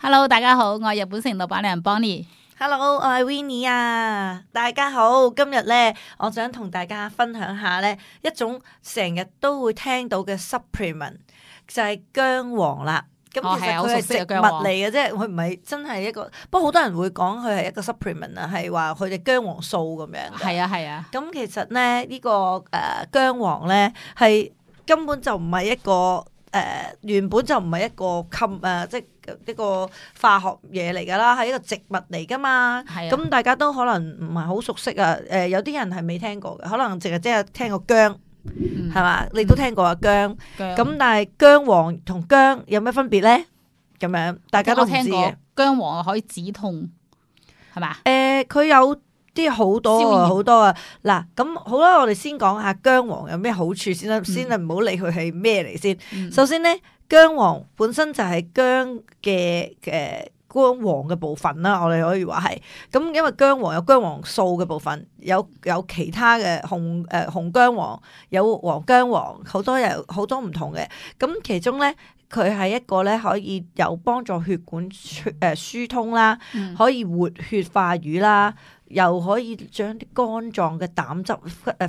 Hello， 大家好，我係日本城老闆娘 Bonnie。Hello， 我係 Winnie 啊！大家好，今日咧，我想同大家分享下咧一種成日都會聽到嘅 supplement， 就係薑黃啦。咁其實佢係植物嚟嘅啫，佢唔係真係一個。不過好多人會講佢係一個 supplement 啊，係話佢哋薑黃素咁樣。係啊。咁其實咧呢個薑黃咧係根本就唔係一個原本就唔係一個即係一個化學嘢嚟噶啦，係一個植物嚟噶嘛。咁大家都可能唔係好熟悉啊。有啲人係未聽過嘅，可能淨係即係聽過薑。係嘛？你都聽過啊薑，咁但係薑黃同薑有咩分別咧？咁樣大家都唔知嘅。薑黃可以止痛，係嘛？佢有啲好多啊。嗱，咁好啦，我哋先講下薑黃有咩好處先啦，先唔好理佢係咩嚟先。首先咧，薑黃本身就係薑嘅薑黃嘅部分啦，我哋可以話係咁，因為薑黃有薑黃素嘅部分，有其他嘅紅薑黃，有黃薑黃，好多唔同嘅。咁其中咧，佢係一個咧可以有幫助血管疏通啦，可以活血化瘀啦，又可以將啲肝臟嘅膽汁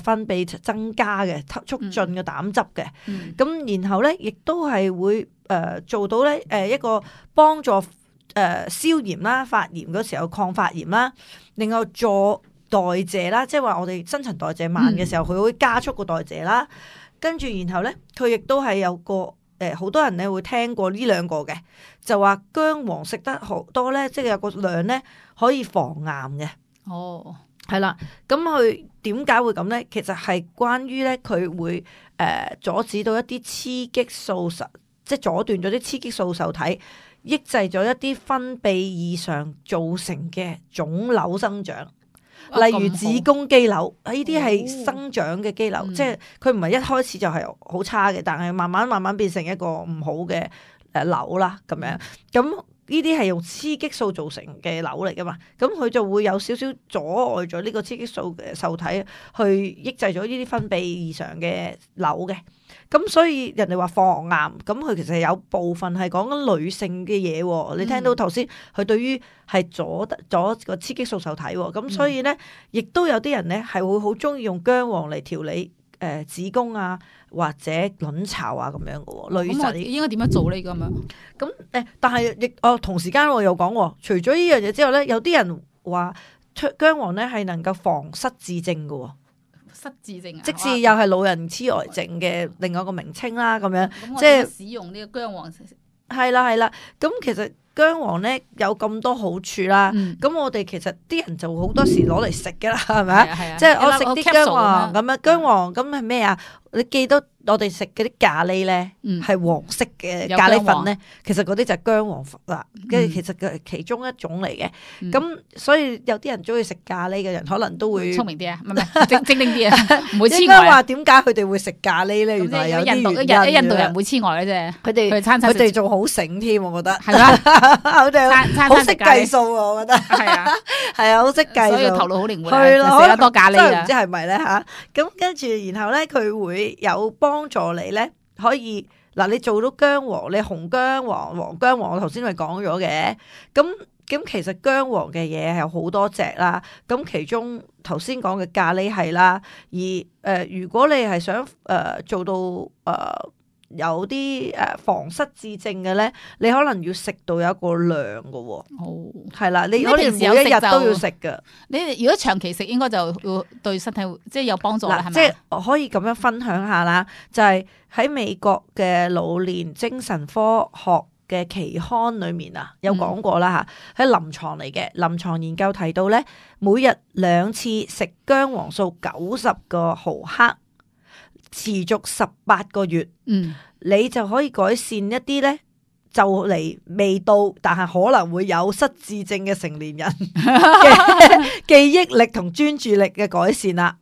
分泌增加嘅，促進嘅膽汁嘅。咁然後咧，亦都係會做到咧一個幫助消炎啦，發炎嗰時候抗發炎啦，另外助代謝啦，即係話我哋新陳代謝慢嘅時候，佢會加速個代謝啦。跟住然後咧，佢亦都係有個好多人咧會聽過呢兩個嘅，就話薑黃食得好多咧，即係有個量咧可以防癌嘅。哦，係啦，咁佢點解會咁咧？其實係關於咧佢會阻止到一啲雌激素即係阻斷咗啲雌激素受體，抑制咗一啲分泌異常造成嘅腫瘤生長，例如子宮肌瘤，呢啲係生長嘅肌瘤，即係佢唔係一開始就係好差嘅，但係慢慢變成一個唔好嘅瘤啦咁樣。咁呢啲係用雌激素造成嘅瘤嚟噶嘛，咁佢就會有少少阻礙咗呢個雌激素嘅受體去抑制咗呢啲分泌異常嘅瘤嘅。咁所以人哋話防癌，咁佢其實有部分係講緊女性嘅嘢。你聽到頭先佢對於係阻個雌激素受體，咁所以咧，亦都有啲人咧係會好中意用薑黃嚟調理子宮啊或者卵巢啊咁樣嘅。女仔應該點樣做呢？咁樣咁但係亦同時間我又講，除咗呢樣嘢之後咧，有啲人話薑黃咧係能夠防失智症嘅。失智症啊，即使又係老人痴呆症嘅另外一個名稱啦，咁樣即係使用呢個薑黃。係啦，咁其實薑黃咧有咁多好處啦，咁我哋其實啲人就好多時攞嚟食噶啦，係咪啊？即係我食啲薑黃咁樣，薑黃咁係咩啊？你記得我哋食嗰啲咖喱咧，係黃色嘅咖喱粉咧，其實嗰啲就係薑黃粉啦，跟住其實佢係其中一種嚟嘅。咁所以有啲人中意食咖喱嘅人，可能都會聰明啲啊，唔係精靈啲啊，唔會痴呆。應該話點解佢哋會食咖喱咧？原來有啲原因。印度人唔會痴呆嘅啫，佢哋仲好醒添，我覺得係啦，佢哋好識計數啊，我覺得係啊，好識計數，所以頭腦好靈活，係咯，食得多咖喱啊，真係唔知係咪咧吓？咁跟住然後咧，佢會有幫助你咧，可以嗱，你做到薑黃，你紅薑黃、黃薑黃，我頭先咪講咗嘅。咁其實薑黃嘅嘢係有好多隻啦。咁其中頭先講嘅咖喱係啦，而如果你係想做到有啲防失智症嘅咧，你可能要食到有一個量嘅喎。哦，係啦，你可能每一日都要食嘅。你如果長期食，應該就會對身體即係有幫助啦，係咪？即係我可以咁樣分享下啦，就係喺美國嘅老年精神科學嘅期刊裏面啊，有講過啦嚇，喺臨床嚟嘅臨床研究提到咧，每日2次食薑黃素90個毫克，持續18個月，你就可以改善一啲咧，就嚟未到但係可能會有失智症嘅成年人嘅記憶力同專注力嘅改善啦。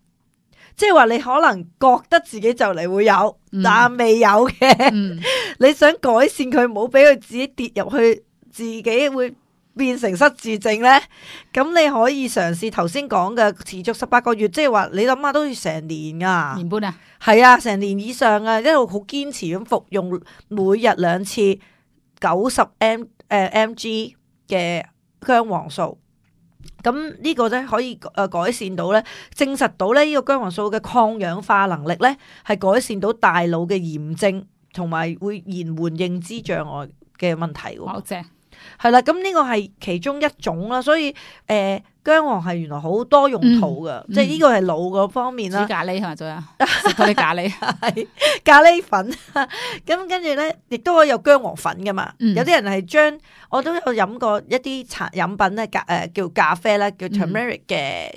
即係話你可能覺得自己就嚟會有，但未有嘅，你想改善佢，唔好俾佢自己跌入去，自己會變成失智症咧。咁你可以嘗試頭先講嘅持續18個月，即係話你諗下都要成年啊，年半啊，係啊，成年以上啊，一路好堅持咁服用，每日2次90 mg 嘅姜黃素。咁呢個咧可以改善到咧，證實到咧呢個姜黃素嘅抗氧化能力咧係改善到大腦嘅炎症，同埋會延緩認知障礙嘅問題喎。好正，係啦，咁呢個係其中一種啦，所以姜黃係原來好多用途噶，即係呢個係腦嗰方面啦。煮咖喱係咪仲有食嗰啲咖喱？係咖喱粉，咁跟住咧，亦都可以有姜黃粉噶嘛。有啲人係將我都有飲過一啲飲品咧，叫咖啡啦，叫 turmeric 嘅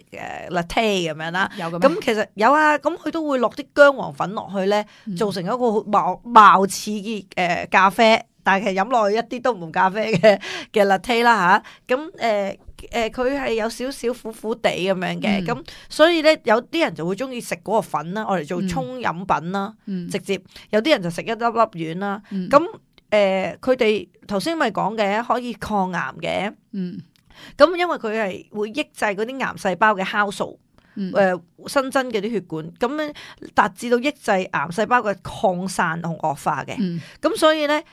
latte 咁樣啦。有咁其實有啊，咁佢都會落啲姜黃粉落去咧，做成一個貌似嘅咖啡，但係飲落去一啲都唔同咖啡嘅 latte 啦吓。咁佢係有少少苦苦地咁樣嘅，咁所以咧有啲人就會中意食嗰個粉啦，我嚟做沖飲品啦，直接有啲人就食一粒粒丸啦。咁佢哋頭先咪講嘅可以抗癌嘅，咁因為佢係會抑制嗰啲癌細胞嘅酵素，新增嘅啲血管，咁樣達至到抑制癌細胞嘅擴散同惡化嘅。咁所以咧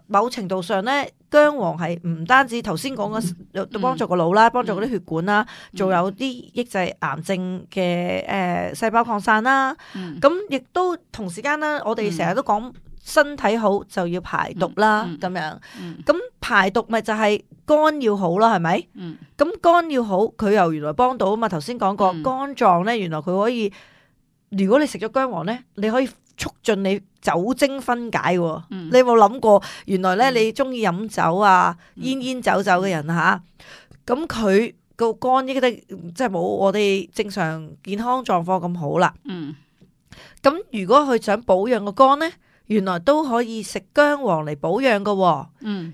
某程度上咧，姜黃係唔單止頭先講嘅幫助個腦啦，幫助嗰啲血管啦，仲有啲抑制癌症嘅細胞擴散啦。咁亦都同時間啦，我哋成日都講身體好就要排毒啦，咁樣。咁排毒咪就係肝要好啦，係咪？咁肝要好，佢又原來幫到啊嘛。頭先講過肝臟咧，原來佢可以，如果你食咗姜黃咧，你可以促進你酒精分解喎。你有冇諗過？原來咧，你中意飲酒啊，煙酒嘅人吓，咁佢個肝應該即係冇我哋正常健康狀況咁好啦。咁如果佢想保養個肝咧，原來都可以食姜黃嚟保養㗎喎。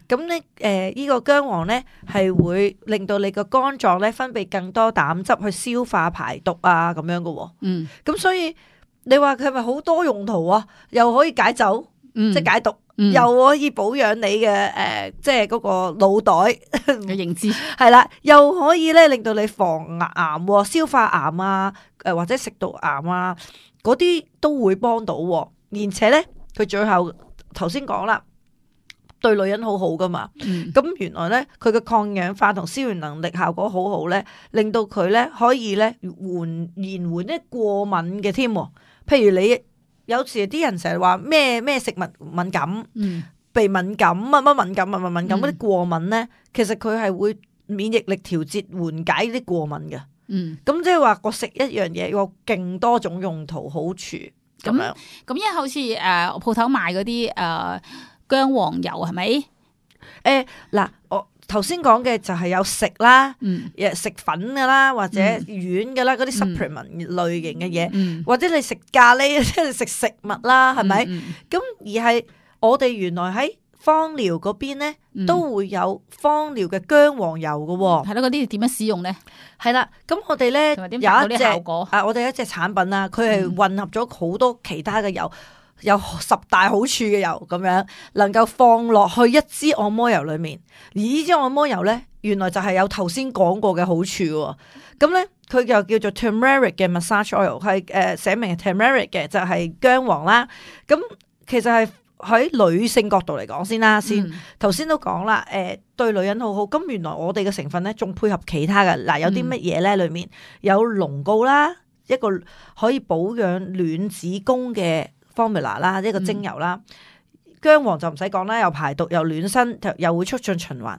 咁咧呢個姜黃咧係會令到你個肝臟咧分泌更多膽汁去消化排毒啊，咁樣㗎喎。咁所以你話佢係咪好多用途啊？又可以解酒，即係解毒，又可以保養你嘅即係嗰個腦袋嘅認知，係啦，又可以咧令到你防癌、消化癌啊，或者食道癌啊，嗰啲都會幫到。而且咧，佢最後頭先講啦，對女人好好噶嘛。咁原來咧，佢嘅抗氧化同消炎能力效果好好咧，令到佢咧可以咧延緩啲過敏嘅添。譬如你有時啲人成日話咩食物敏感、鼻敏感、乜敏感嗰啲過敏咧，其實佢係會免疫力調節緩解啲過敏嘅。咁即係話我食一樣嘢有勁多種用途好處咁樣。咁因為好似鋪頭賣嗰啲姜黃油係咪？嗱，我頭先講嘅就係有食啦，食粉噶啦，或者丸噶啦，嗰啲 supplement 類型嘅嘢，或者你食咖喱，即係食食物啦，係咪？咁而係我哋原來喺芳療嗰邊咧，都會有芳療嘅姜黃油嘅喎。係咯，嗰啲點樣使用咧？係啦，咁我哋咧有一隻我哋一隻產品啦，佢係混合咗好多其他嘅油。有10大好處嘅油咁樣，能夠放落去一支按摩油裏面，而呢支按摩油咧，原來就係有頭先講過嘅好處喎。咁咧，佢就叫做 turmeric 嘅 massage oil， 係寫明係 turmeric 嘅，就係姜黃啦。咁其實係喺女性角度嚟講先啦，頭先都講啦，對女人好好。咁原來我哋嘅成分咧，仲配合其他嘅，嗱，有啲乜嘢咧？裏面有龍膏啦，一個可以保養卵子宮嘅formula 啦，一個精油啦，姜黃就唔使講啦，又排毒又暖身，又會促進循環。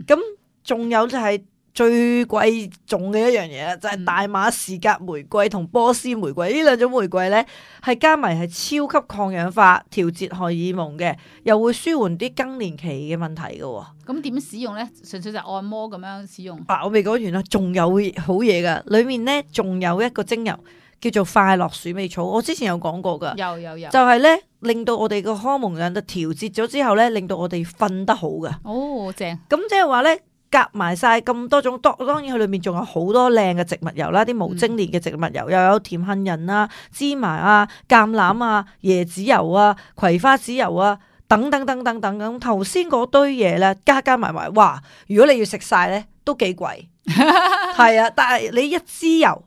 咁仲有就係最貴重嘅一樣嘢啦，就係大馬士革玫瑰同波斯玫瑰呢兩種玫瑰咧，係加埋係超級抗氧化、調節荷爾蒙嘅，又會舒緩啲更年期嘅問題嘅。咁點使用咧？純粹就按摩咁樣使用。我未講完啦，仲有好嘢噶，裏面咧仲有一個精油。叫做快樂鼠尾草，我之前有講過噶，有，就係咧令到我哋個荷蒙量就調節咗之後咧，令到我哋瞓得好噶。哦，正。咁即係話咧，夾埋晒咁多種，當然佢裏面仲有好多靚嘅植物油啦，啲無精煉嘅植物油，又有甜杏仁啊、芝麻啊、橄欖啊、椰子油啊、葵花籽油啊，等等咁。頭先嗰堆嘢咧，加埋，哇！如果你要食晒咧，都幾貴。係啊，但係你一支油。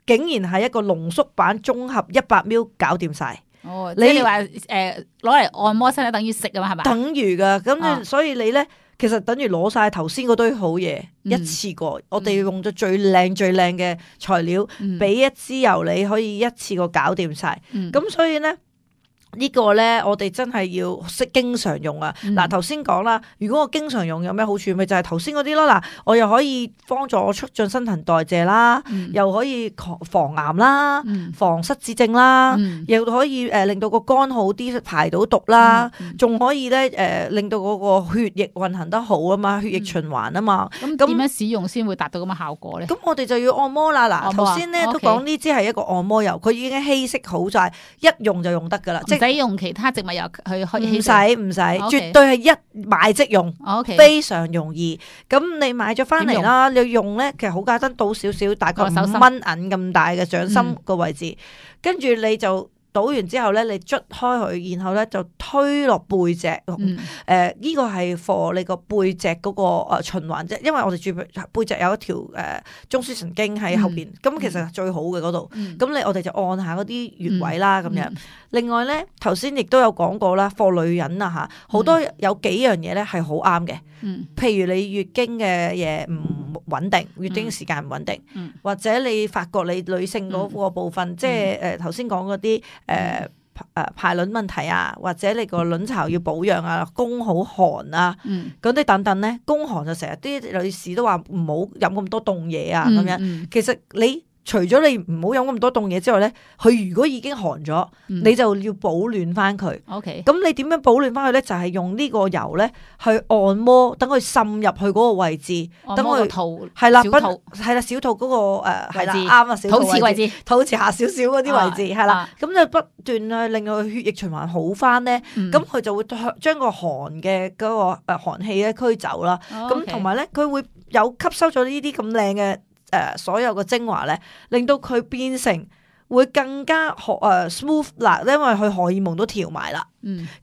竟然係一個濃縮版綜合100ml搞掂晒，哦，即係你話攞嚟按摩身體等於食啊嘛，係嘛？等於噶，咁所以你咧其實等於攞晒頭先嗰堆好嘢一次過，我哋用咗最靚嘅材料，俾一支油你可以一次過搞掂晒，咁所以咧。呢個咧，我哋真係要識經常用啊！嗱，頭先講啦，如果我經常用有咩好處？咪就係頭先嗰啲咯。嗱，我又可以幫助我促進新陳代謝啦，又可以防癌啦，防失智症啦，又可以令到個肝好啲，排到毒啦，仲可以咧令到嗰個血液運行得好啊嘛，血液循環啊嘛。咁點樣使用先會達到咁嘅效果咧？咁我哋就要按摩啦。嗱，頭先咧都講呢支係一個按摩油，佢已經稀釋好晒，一用就用得噶啦。唔使用其他植物油去唔使，絕對係一買即用，非常容易。咁你買咗翻嚟啦，你用咧其實好簡單，倒少少，大概5蚊銀咁大嘅掌心個位置，跟住你就倒完之後咧，你捽開佢，然後咧就推落背脊。呢個係 for 你個背脊嗰個循環啫，因為我哋住背脊有一條中樞神經喺後邊，咁其實最好嘅嗰度。咁我哋就按下嗰啲穴位啦，咁樣。另外咧，頭先亦都有講過啦，for 女人啊嚇，好多有幾樣嘢咧係好啱嘅。譬如你月經嘅嘢唔穩定，月經時間唔穩定，或者你發覺你女性嗰個部分，即係頭先講嗰啲排卵問題啊，或者你個卵巢要保養啊，宮好寒啊，嗰啲等等咧，宮寒就成日啲女士都話唔好飲咁多凍嘢啊，咁樣。其實你除咗你唔好飲咁多凍嘢之外咧，佢如果已經寒咗，你就要保暖翻佢。咁你點樣保暖翻佢咧？就係用呢個油咧去按摩，等佢滲入去嗰個位置，等佢係啦，係啦，小肚嗰個係啦，啱啊，小肚位置，肚臍下少少嗰啲位置係啦，咁就不斷去令到佢血液循環好翻咧，咁佢就會將個寒嘅嗰個寒氣咧驅走啦。咁同埋咧，佢會有吸收咗呢啲咁靚嘅。所有嘅精華咧，令到佢變成會更加smooth 啦，因為佢荷爾蒙都調埋啦。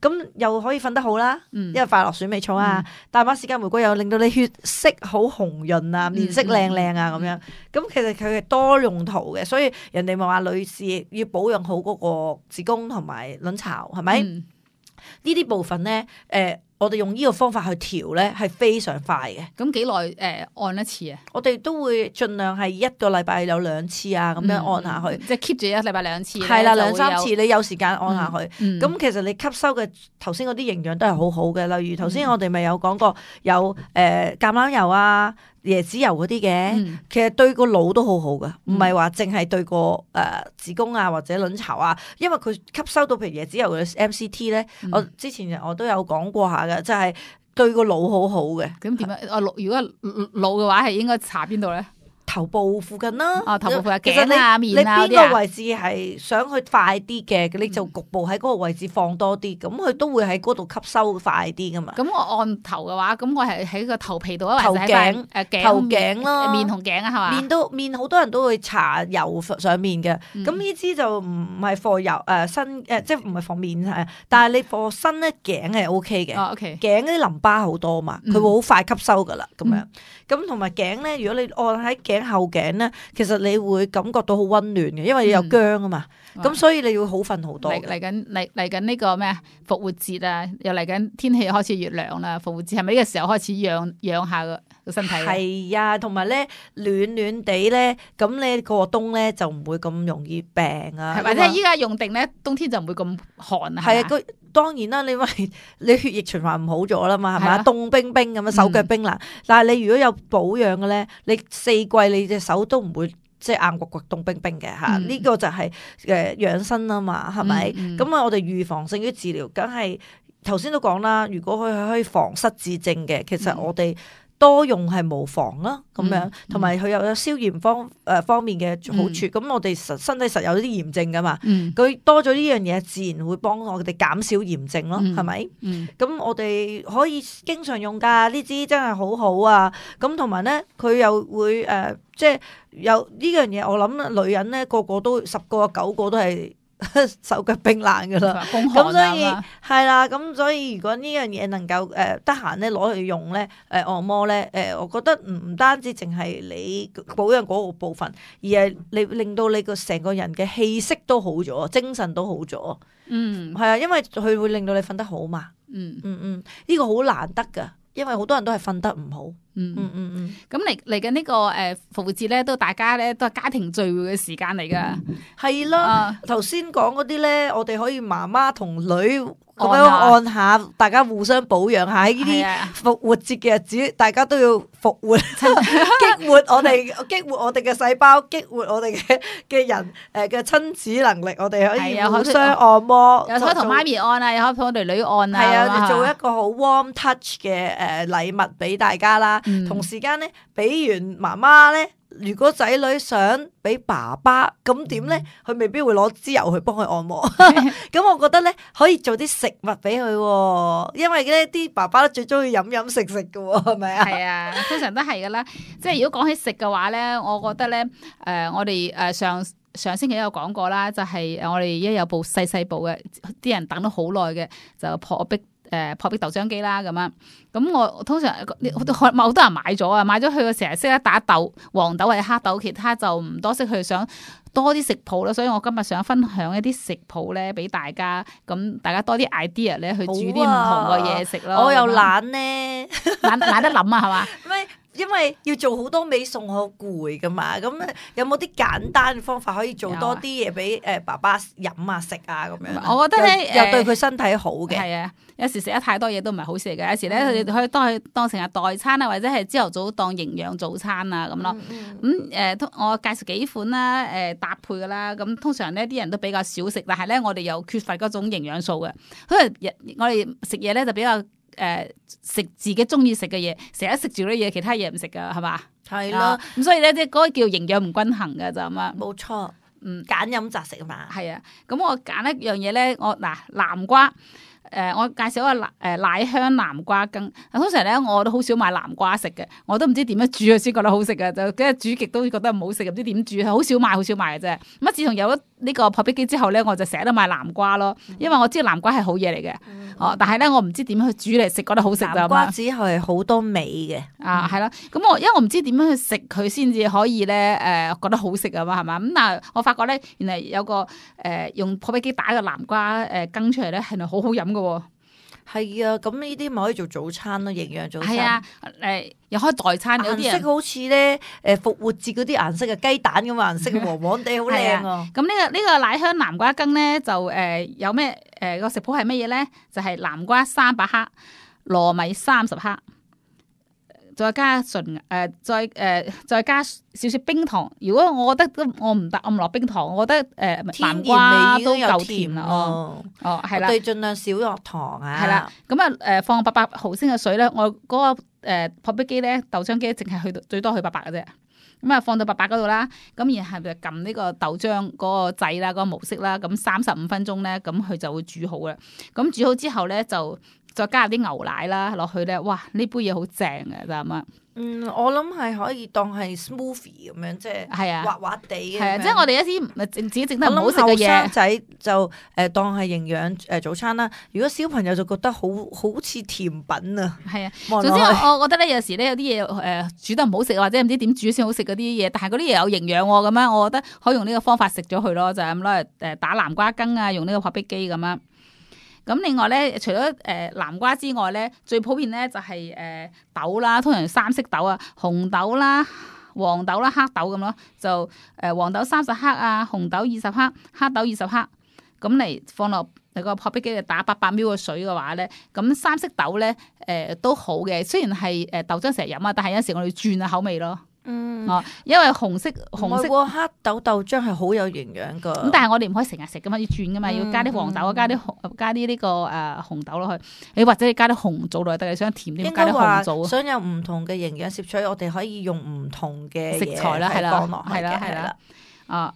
咁又可以瞓得好啦，因為快樂鼠尾草啊，大馬士革玫瑰又令到你血色好紅潤啊，面色靚靚啊咁樣。咁其實佢係多用途嘅，所以人哋咪話女士要保養好嗰個子宮同埋卵巢，係咪？呢啲部分咧，我哋用呢個方法去調咧，係非常快嘅。咁幾耐按一次啊？我哋都會盡量係一個禮拜有2次啊，咁樣按下去。即係 keep 住一禮拜2次。係啦，2-3次，你有時間按下去。咁其實你吸收嘅頭先嗰啲營養都係好好嘅。例如頭先我哋咪有講過有橄欖油啊、椰子油嗰啲嘅，其實對個腦都好好嘅，唔係話淨係對個子宮啊或者卵巢啊，因為佢吸收到譬如椰子油嘅 MCT 咧，我之前我都有講過下嘅，就係對個腦好好嘅。咁點樣？如果腦嘅話係應該搽邊度咧？頭部附近啦，頭部附近，其實頸啊、面啊嗰啲啊。你邊個位置係想去快啲嘅，你就局部喺嗰個位置放多啲，咁佢都會喺嗰度吸收快啲噶嘛。咁我按頭嘅話，咁我係喺個頭皮度啊，頭頸頭頸咯，面同頸啊，係嘛？面好多人都會搽油上面嘅，咁呢支就唔係放油身即係唔係放面係，但係你放身咧頸係 O K 嘅。頸嗰啲淋巴好多嘛，佢會好快吸收噶啦，咁樣。咁同埋頸咧，如果你按喺頸後頸咧，其實你會感覺到好溫暖嘅，因為你有薑啊嘛，咁所以你會好瞓好多。嚟緊呢個咩復活節啊，又嚟緊天氣開始越涼啦，復活節係咪呢個時候開始養下個身體？係啊，同埋咧暖暖地咧，咁你過冬咧就唔會咁容易病啊。或者依家用定咧，冬天就唔會咁寒啊。係啊，當然啦，因為你血液循環唔好咗啦嘛，係咪？凍冰冰咁樣，手腳冰冷。但係你如果有保養嘅咧，你4季你隻手都唔會即係硬骨骨凍冰冰嘅嚇。呢個就係養生啊嘛，係咪？咁啊，我哋預防勝於治療，梗係頭先都講啦。如果佢可以防失智症嘅，其實我哋多用係無妨啦，咁樣，同埋佢又有消炎方面嘅好處。咁我哋身體實有啲炎症噶嘛，佢多咗呢樣嘢，自然會幫我哋減少炎症咯，係咪？咁我哋可以經常用噶，呢支真係好好啊！咁同埋咧，佢又會即係有呢樣嘢，我諗女人咧個個都10個9個都係手腳冰冷噶啦。咁咁所以係啦，咁所以如果呢樣嘢能夠得閒咧攞去用咧，按摩咧，我覺得唔單止淨係你保養嗰個部分，而係你令到你個成個人嘅氣息都好咗，精神都好咗。係啊，因為佢會令到你瞓得好嘛。呢個好難得噶，因為好多人都係瞓得唔好。咁嚟緊呢個復活節咧，都大家咧都係家庭聚會嘅時間嚟噶。係啦，頭先講嗰啲咧，我哋可以媽媽同女咁樣按下，大家互相保養下。喺呢啲復活節嘅日子，大家都要復活，激活我哋嘅細胞，激活我哋嘅人嘅親子能力。我哋可以互相按摩，又可以同媽咪按啊，又可以同我哋女按啊。係啊，做一個好 warm touch 嘅禮物俾大家啦。同時間咧，俾完媽媽咧，如果仔女想俾爸爸，咁點咧？佢未必會攞支油去幫佢按摩。咁我覺得咧，可以做啲食物俾佢，因為咧啲爸爸都最中意飲飲食食噶，係咪啊？係啊，通常都係噶啦。即係如果講起食嘅話咧，我覺得咧，我哋上星期有講過啦，就係我哋一有部細部嘅，啲人等咗好耐嘅，就破壁豆漿機啦咁樣。咁我通常好多人買咗啊，買咗佢成日識得打豆，黃豆或者黑豆，其他就唔多識去想多啲食譜啦。所以我今日想分享一啲食譜咧俾大家，咁大家多啲 idea 咧去煮啲唔同嘅嘢食咯。我又懶咧，懶得諗啊，係嘛？因為要做好多味餸，好攰噶嘛。咁有冇啲簡單嘅方法可以做多啲嘢俾爸爸飲啊食啊咁樣？我覺得咧又對佢身體好嘅。係啊，有時食得太多嘢都唔係好事嚟嘅。有時咧佢哋可以當成日代餐啊，或者係朝頭早當營養早餐啊咁咯。我介紹幾款啦，搭配噶啦。咁通常呢啲人都比較少食，但係咧我哋又缺乏嗰種營養素嘅。因為我哋食嘢咧就比較。食自己中意食嘅嘢，成日食住啲嘢，其他嘢唔食噶，係嘛？係咯，咁所以咧，即係嗰個叫營養唔均衡嘅就咁啊。冇錯，揀飲擇食啊嘛。係啊，咁我揀一樣嘢咧，南瓜。我介紹一個奶香南瓜羹。通常咧，我都好少買南瓜食嘅，我都唔知點樣煮佢先覺得好食嘅，就跟住煮極都覺得唔好食，唔知點煮，好少買嘅啫。咁自從有咗呢個破壁機之後咧，我就成日都買南瓜咯，因為我知道南瓜係好嘢嚟嘅。但係咧我唔知點樣去煮嚟食覺得好食。南瓜只係好多味嘅。係啦，咁因為我唔知點樣去食佢先至可以咧覺得好食啊嘛，係嘛？咁但係我發覺咧，原來有個用破壁機打個南瓜羹出嚟咧，係咪好好飲嘅？係啊，咁呢啲咪可以做早餐咯，營養早餐。係啊，又可以代餐。有啲人顏色好似咧，復活節嗰啲顏色嘅雞蛋咁顏色，黃黃地好靚啊。咁呢個奶香南瓜羹咧，就有咩個食譜係乜嘢咧？就係南瓜300克，糯米30克。再加再加少少冰糖。如果我覺得我唔得，我唔落冰糖，我覺得南瓜都夠甜啦。係啦，我哋盡量少落糖啊。係啦，咁放800毫升嘅水咧，我嗰個破壁機咧，豆漿機淨係去到最多去800嘅啫。咁放到800嗰度啦，咁然後就撳呢個豆漿嗰個掣啦，嗰個模式啦，咁35分鐘咧，咁佢就會煮好啦。咁煮好之後咧，就再加入啲牛奶啦落去咧，哇！呢杯嘢好正嘅，就咁啊。我諗係可以當係 smoothie 咁樣，即係滑滑地嘅。係啊，即係我哋一啲自己整得唔好食嘅嘢。後生仔就當係營養早餐啦。如果小朋友就覺得好似甜品啊。係啊，總之我覺得咧，有時咧有啲嘢煮得唔好食，或者唔知點煮先好食嗰啲嘢，但係嗰啲嘢有營養喎，咁樣我覺得可以用呢個方法食咗佢咯，就係咁攞嚟打南瓜羹啊，用呢個破壁機咁樣。咁另外咧，除咗南瓜之外咧，最普遍咧就係豆啦，通常3色豆啊，紅豆啦、黃豆啦、黑豆咁咯。就黃豆30克啊，紅豆20克，黑豆20克，咁嚟放落你個破壁機度打800 ml 嘅水嘅話咧，咁3色豆咧都好嘅。雖然係豆漿成日飲啊，但係有時我哋轉下口味咯。因為紅色黑豆豆漿係好有營養噶。咁但係我哋唔可以成日食噶嘛，要轉噶嘛，要加啲黃豆，加啲呢個紅豆落去。你或者你加啲紅棗落去，但係想甜啲，加啲紅棗。想有唔同嘅營養攝取，我哋可以用唔同嘅食材啦，係啦。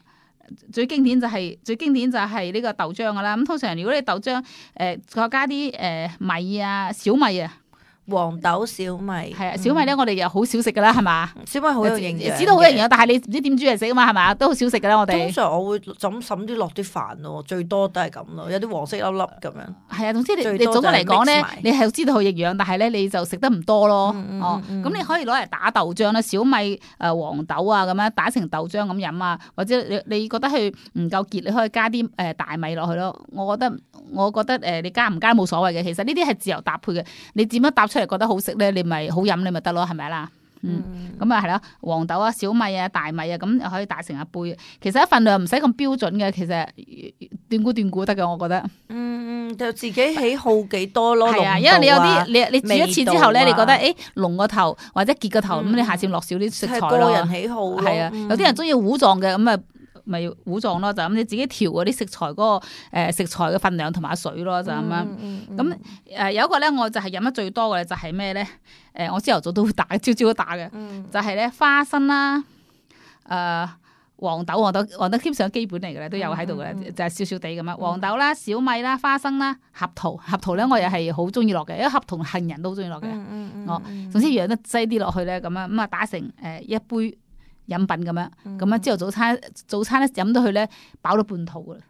最經典就係呢個豆漿噶啦。咁通常如果你豆漿再加啲米啊、小米啊。黃豆、小米係啊，小米咧我哋又好少食噶啦，係嘛？小米好有營養，知道好有營養，但係你唔知點煮嚟食啊嘛，係嘛？都好少食噶啦，我哋。通常我會就咁揼啲落啲飯咯，最多都係咁咯，有啲黃色粒粒咁樣。係啊，總之你總嘅嚟講咧，你係知道好營養，但係咧你就食得唔多咯。咁你可以攞嚟打豆漿啦，小米黃豆啊咁樣打成豆漿咁飲啊，或者你覺得佢唔夠結，你可以加啲大米落去咯。我覺得你加唔加冇所謂嘅，其實呢啲係自由搭配嘅，你點樣搭出嚟覺得好食咧，你咪好飲你咪得咯，係咪啦？咁啊係啦，黃豆啊、小米啊、大米啊，咁又可以打成一杯。其實一份量唔使咁標準嘅，其實斷估得嘅，我覺得。就自己喜好幾多咯。係啊，因為你有啲你煮一次之後咧，你覺得濃個頭或者結個頭，咁你下次落少啲食材咯。個人喜好咯。係啊，有啲人中意糊狀嘅，咁啊咪糊狀咯，就咁你自己調嗰啲食材嗰個食材嘅份量同埋水咯，就咁樣。咁有一個咧，我就係飲得最多嘅就係咩咧？我朝頭早都會打，朝朝都打嘅，就係咧花生啦，黃豆基本上基本嚟嘅咧，都有喺度嘅，就係少少地咁樣。黃豆啦、小米啦、花生啦、合桃咧，我又係好中意落嘅，因為合桃杏仁都好中意落嘅。總之養得擠啲落去咧，咁啊打成一杯飲品咁樣，咁啊朝頭早餐咧飲到佢咧飽到半肚噶啦。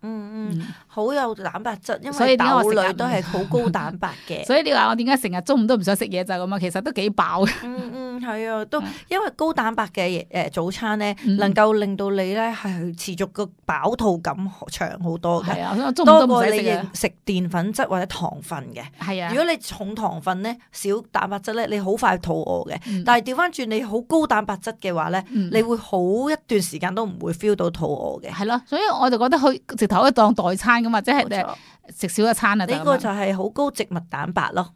好有蛋白質，因為豆類都係好高蛋白嘅。所以你話我點解成日中午都唔想食嘢就係咁啊？其實都幾飽嘅。係啊，都因為高蛋白嘅早餐咧，能夠令到你咧係持續個飽肚感長好多嘅。係啊，中午都唔使食嘅。食澱粉質或者糖分嘅。係啊。如果你重糖分咧，少蛋白質咧，你好快肚餓嘅。但係調翻轉你好高蛋白質嘅話咧，你會好一段時間都唔會 feel 到肚餓嘅。係咯，所以我就覺得佢直頭可以當代餐咁啊，即係食少一餐啊。呢個就係好高植物蛋白咯。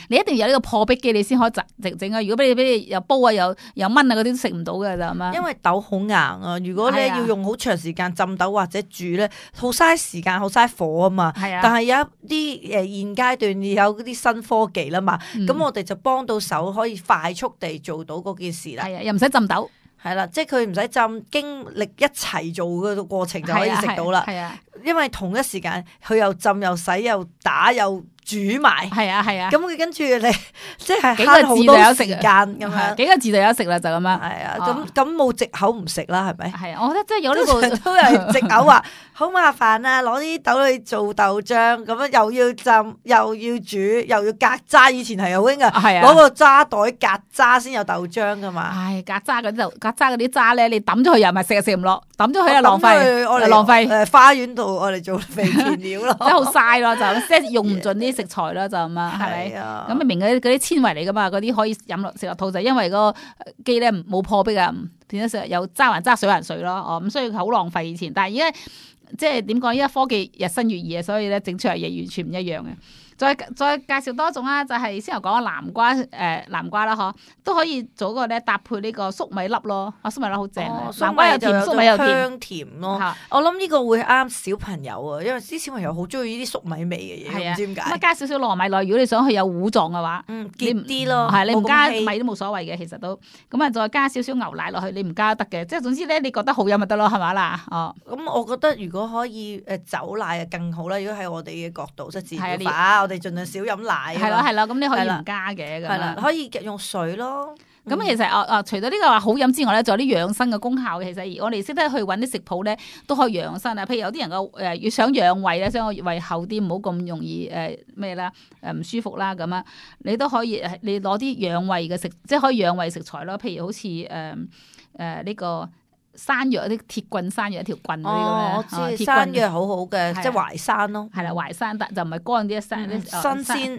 你一定要有呢個破壁機，你先可以整啊！如果俾你又煲啊，又炆啊，嗰啲都食唔到嘅就咁樣。因為豆好硬啊，如果咧要用好長時間浸豆或者煮咧，好嘥時間，好嘥火啊嘛。係啊。但係有一啲現階段有嗰啲新科技啦嘛，咁我哋就幫到手，可以快速地做到嗰件事啦。係啊，又唔使浸豆。係啦，即係佢唔使浸，經歷一齊做嘅過程就可以食到啦。係啊，因為同一時間佢又浸又洗又打又煮埋，係啊，咁佢跟住你即係慳好多時間咁樣，幾個字就有得食啦，就咁樣。係啊，咁冇藉口唔食啦，係咪？係啊，我覺得即係有呢個都係藉口話好麻煩啊，攞啲豆去做豆漿，咁樣又要浸又要煮又要隔渣，以前係好興噶，攞個渣袋隔渣先有豆漿噶嘛。唉，隔渣嗰啲渣咧，你抌咗佢又唔係食又食唔落，抌咗佢又浪費，浪費。花園度我哋做肥田料咯，真係好嘥咯，就即係用唔盡啲食材啦，就咁啊，係咪？咁明嗰啲纖維嚟噶嘛，嗰啲可以飲落食落肚，就因為嗰個機咧冇破壁啊，變咗有渣還渣水還水咯，咁所以好浪費以前。但係而家即係點講？而家科技日新月異啊，所以咧整出嚟嘢完全唔一樣嘅。再介紹多種啦，就係先頭講嘅南瓜啦，嗬，都可以做個咧搭配呢個粟米粒咯，粟米粒好正，南瓜又甜，粟米又香甜咯。我諗呢個會啱小朋友啊，因為啲小朋友好中意呢啲粟米味嘅嘢，唔知點解。咁加少少糯米落，如果你想佢有糊狀嘅話，結啲咯，係你唔加米都冇所謂嘅，其實都咁啊，再加少少牛奶落去，你唔加得嘅，即係總之咧，你覺得好飲咪得咯，係咪啦？咁我覺得如果可以走奶啊更好啦，如果喺我哋嘅角度即係自然化，我哋盡量少飲奶。係咯，咁你可以唔加嘅，係啦，可以用水咯。咁其實除咗呢個話好飲之外咧，仲有啲養生嘅功效嘅。其實我哋識得去揾啲食譜咧，都可以養生啊。譬如有啲人個要想養胃咧，想胃厚啲，唔好咁容易咩啦唔舒服啦咁啊，你都可以你攞啲養胃嘅即係可以養胃食材咯。譬如好似呢個山藥啲鐵棍山藥一條棍嗰啲咁咧，我知山藥好好嘅，即係淮山咯。係啦，淮山就唔係乾啲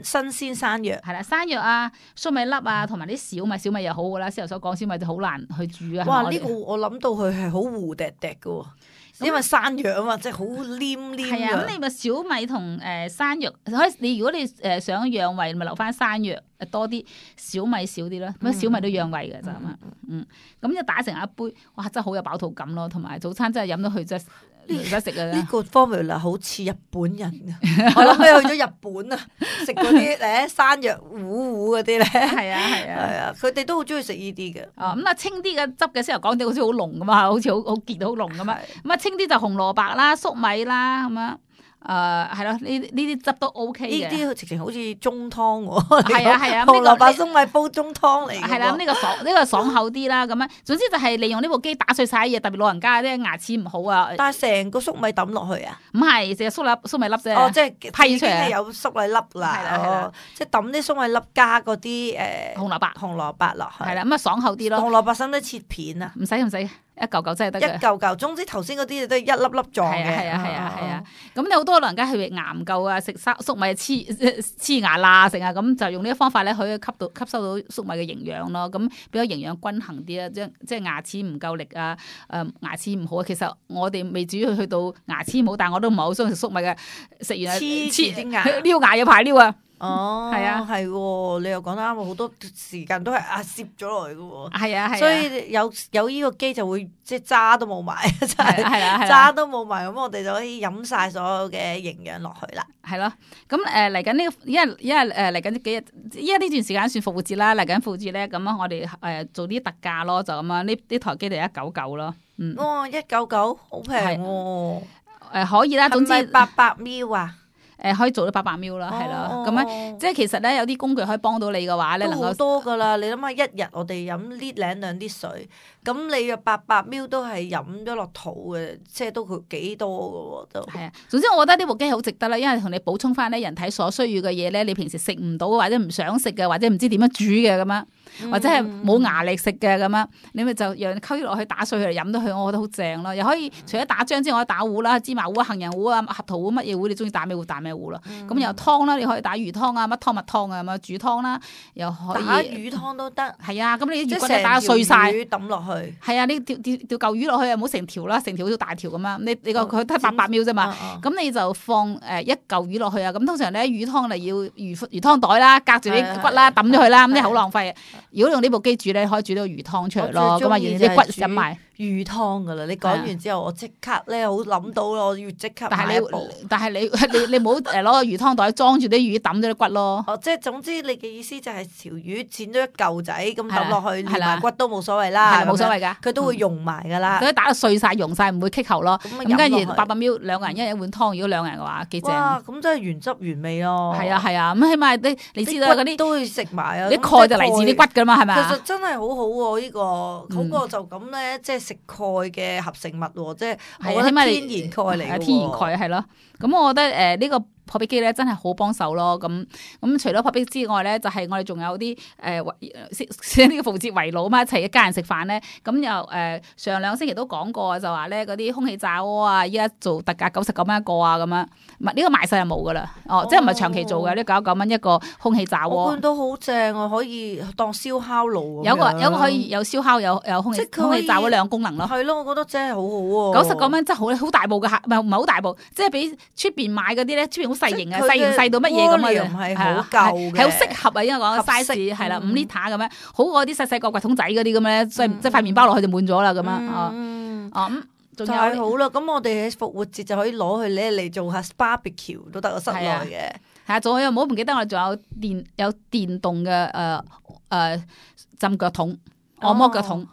新鮮山藥。係啦，山藥啊、粟米粒啊，同埋啲小米又好噶啦。先頭所講小米就好難去煮啊。哇！呢個我諗到佢係好糊滴滴嘅，因為山藥啊嘛，即係好黏黏。係啊，咁你咪小米同山藥，你如果你想養胃，咪留翻山藥多啲，小米少啲啦。咁小米都養胃嘅就咁啊。咁就打成一杯，哇！真係好有飽肚感咯，同埋早餐真係飲到佢真係唔使食啊。呢個 formula 好似日本人啊，我諗起去咗日本啊，食嗰啲山藥糊嗰啲咧。係啊，佢哋都好中意食呢啲嘅。咁啊清啲嘅汁嘅先頭講啲好似好濃咁啊，好似好結到好濃咁啊。咁啊清啲就紅蘿蔔啦、粟米啦咁樣。係咯，呢啲汁都 OK 呢嘅。啲直情好似中湯喎，係啊係啊，紅蘿蔔粟米煲中湯嚟嘅喎。係啦，咁呢個爽口啲啦，咁樣總之就係利用呢部機打碎晒啲嘢，特別老人家啲牙齒唔好啊。但係成個粟米抌落去啊？唔係，淨係粟米粒啫。哦，即係批出嚟有粟米粒啦。係啦即係抌啲粟米粒加嗰啲紅蘿蔔落去。係啦，咁啊爽口啲咯。紅蘿蔔使唔使切片啊？唔使，一嚿嚿真係得嘅。一嚿嚿，總之頭先嗰啲都係一粒粒狀嘅。係啊。咁有好多老人家係牙唔夠啊，食粟米黐牙罅成啊，咁就用呢個方法咧，可以吸收到粟米嘅營養咯。咁比較營養均衡啲啊，即係牙齒唔夠力啊，牙齒唔好啊。其實我哋未至於去到牙齒唔好，但係我都唔係好中意食粟米嘅，食完黐牙，撩牙有排撩啊。哦，係啊，係喎，你又講得啱，好多時間都係攝咗落去嘅喎。係啊，所以有呢個機就會即係渣都冇埋，真係渣都冇埋，咁我哋就可以飲晒所有嘅營養落去啦。係咯，咁嚟緊呢個，因為嚟緊幾日，依家呢段時間算復活節啦，嚟緊復活節咧，咁啊我哋做啲特價咯，就咁啊呢台機就199咯。哇，199好平喎。可以啦，總之800 ml 啊。可以做到800 ml 啦，係啦，咁樣即係其實咧有啲工具可以幫到你嘅話咧，能夠好多噶啦。你諗下，一日我哋飲呢兩啲水，咁你嘅800 ml都係飲咗落肚嘅，即係都幾多噶喎都。係啊，總之我覺得呢部機好值得啦，因為同你補充翻咧人體所需要嘅嘢咧，你平時食唔到或者唔想食嘅，或者唔知點樣煮嘅咁樣，或者係冇牙力食嘅咁樣，你咪就讓溝落去打碎佢嚟飲到佢，我覺得好正咯。又可以除咗打漿之外，打糊啦、芝麻糊啊、杏仁糊啊、核桃糊乜嘢糊，你中意打咩糊打咩糊咯。咁又湯啦，你可以打魚湯啊、乜湯乜湯啊咁樣煮湯啦，又可以打魚湯都得。係啊，咁你啲魚骨你打碎晒，魚抌落去。係啊，你掉嚿魚落去啊，唔好成條啦，成條好似大條咁樣。你佢得800 ml 啫嘛，咁你就放一嚿魚落去啊。咁通常咧魚湯你要魚湯袋啦，隔住啲骨啦，抌咗佢啦，咁你好浪費。如果用呢部機煮咧，可以煮到魚湯出嚟咯，咁啊，啲骨飲埋。魚湯噶啦，你講完之後，我即刻咧好諗到咯，我要即刻買一部。但係你唔好攞個魚湯袋裝住啲魚，抌咗啲骨咯。哦，即係總之你嘅意思就係條魚剪咗一嚿仔咁抌落去，連埋骨都冇所謂啦，冇所謂噶，佢都會溶埋噶啦。佢打到碎晒、溶晒，唔會棘喉咯。咁跟住800 ml 2個人一碗湯，如果2個人嘅話，幾正。哇，咁真係原汁原味咯。係啊，咁起碼你知道嗰啲都會食埋啊。啲鈣就嚟自啲骨噶嘛，係咪？其實真係好好喎，呢個好過就咁咧，即係食鈣嘅合成物喎，即係我覺得天然鈣嚟嘅喎。天然鈣係咯，咁我覺得呢個破壁機咧真係好幫手咯。咁除咗破壁之外咧，就係我哋仲有啲呢個復活節圍爐嘛，一齊一家人食飯咧。咁又上2星期都講過，就話咧嗰啲空氣炸鍋啊，依家做特價99蚊一個啊，咁樣唔係呢個賣晒就冇噶啦。即係唔係長期做嘅，呢99蚊一個空氣炸鍋。我見到好正啊，可以當燒烤爐咁樣。有個可以有燒烤有空氣炸鍋兩個功能咯。係咯，我覺得真係好好喎。99蚊真係好大部嘅，唔係好大部，即係比出邊買嗰啲咧，出邊好細型啊，細到乜嘢咁啊，唔係好夠嘅，係好適合啊，應該講 size 係啦，5 litre 咁樣，好過啲細個櫃桶仔嗰啲咁咧，即係塊麵包落去就滿咗啦咁樣。咁仲有好啦，咁我哋喺復活節就可以攞佢咧嚟做下 barbecue 都得，室內嘅。係啊，仲有唔好唔記得我哋仲有電動嘅浸腳桶。按摩腳桶，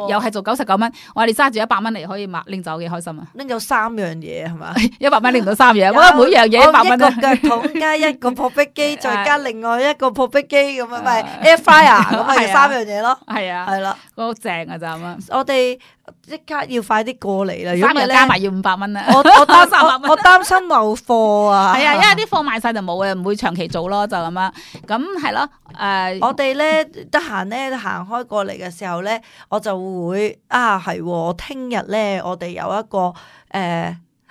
又係做99蚊，我哋揸住100蚊嚟可以拎走，幾開心啊！拎走3樣嘢係嘛？100蚊拎到3樣，我覺得每樣嘢100蚊一個腳桶加一個破壁機，再加另外一個破壁機咁樣，咪 air fryer 咁咪3樣嘢咯。係啊，係啦，好正啊！就咁啊！我哋即刻要快啲過嚟啦，如果3日加埋要500蚊啦。我擔心冇貨啊。係啊，因為啲貨賣晒就冇嘅，唔會長期做咯，就咁樣。咁係咯，我哋咧得閒咧行開過嚟嘅時候咧，我就會係我聽日咧，我哋有一個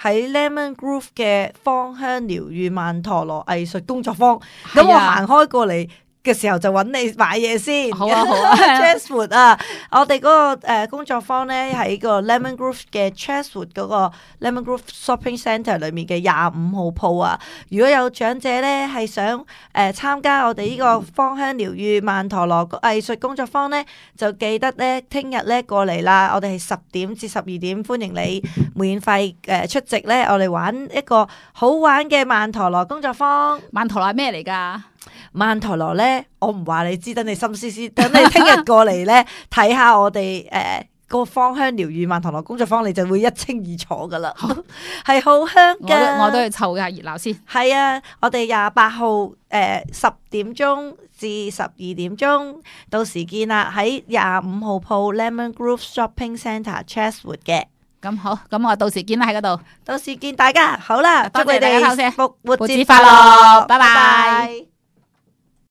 喺 Lemon Groove 嘅芳香療愈曼陀羅藝術工作坊，咁我行開過嚟嘅時候就揾你買嘢先。好啊 Chatswood 啊，我哋嗰個工作坊咧喺個 Lemon Groove 嘅 Chatswood 嗰個 Lemon Groove Shopping Centre 裏面嘅25號鋪啊。如果有長者咧係想參加我哋呢個芳香療愈曼陀羅藝術工作坊咧，就記得咧聽日咧過嚟啦。我哋係10點至12點，歡迎你免費出席咧。我哋玩一個好玩嘅曼陀羅工作坊。曼陀羅係咩嚟㗎？曼陀羅咧，我唔話你知，等你心思思，等你聽日過嚟咧睇下我哋個芳香療愈曼陀羅工作坊，你就會一清二楚噶啦，係好香噶。我都去湊下熱鬧先。係啊，我哋28號10點鐘至12點鐘，到時見啦，喺25號鋪 Lemon Grove Shopping Centre Chatswood 嘅。咁好，咁我到時見啦喺嗰度。到時見大家，好啦，多謝祝你哋大家收聽復活節節快樂，拜拜。